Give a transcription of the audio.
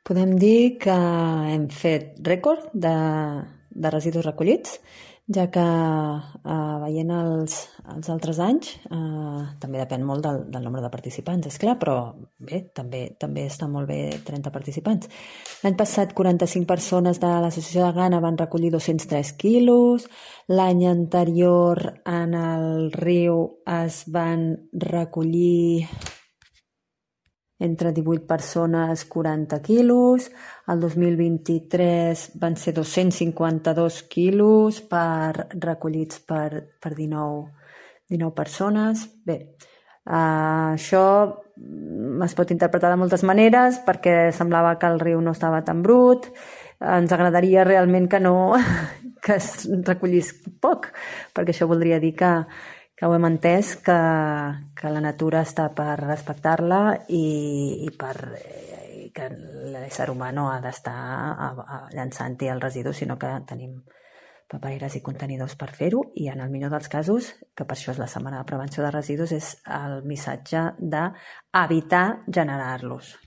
Podem dir que hem fet rècord de residus recollits, ja que veient els altres anys, també depèn molt del nombre de participants, és clar, però bé, també està molt bé 30 participants. L'any passat 45 persones de l'Associació de Ghana van recollir 203 quilos, l'any anterior en el riu es van recollir entre 18 persones, 40 quilos. El 2023 van ser 252 quilos recollits per 19 persones. Bé, això es pot interpretar de moltes maneres perquè semblava que el riu no estava tan brut. Ens agradaria realment que es recollís poc, perquè això voldria dir que ho hem entès, que la natura està per respectar-la i que l'ésser humà no ha d'estar llançant-hi el residu, sinó que tenim papereres i contenidors per fer-ho, i en el millor dels casos, que per això és la setmana de prevenció de residus, és el missatge d'evitar generar-los.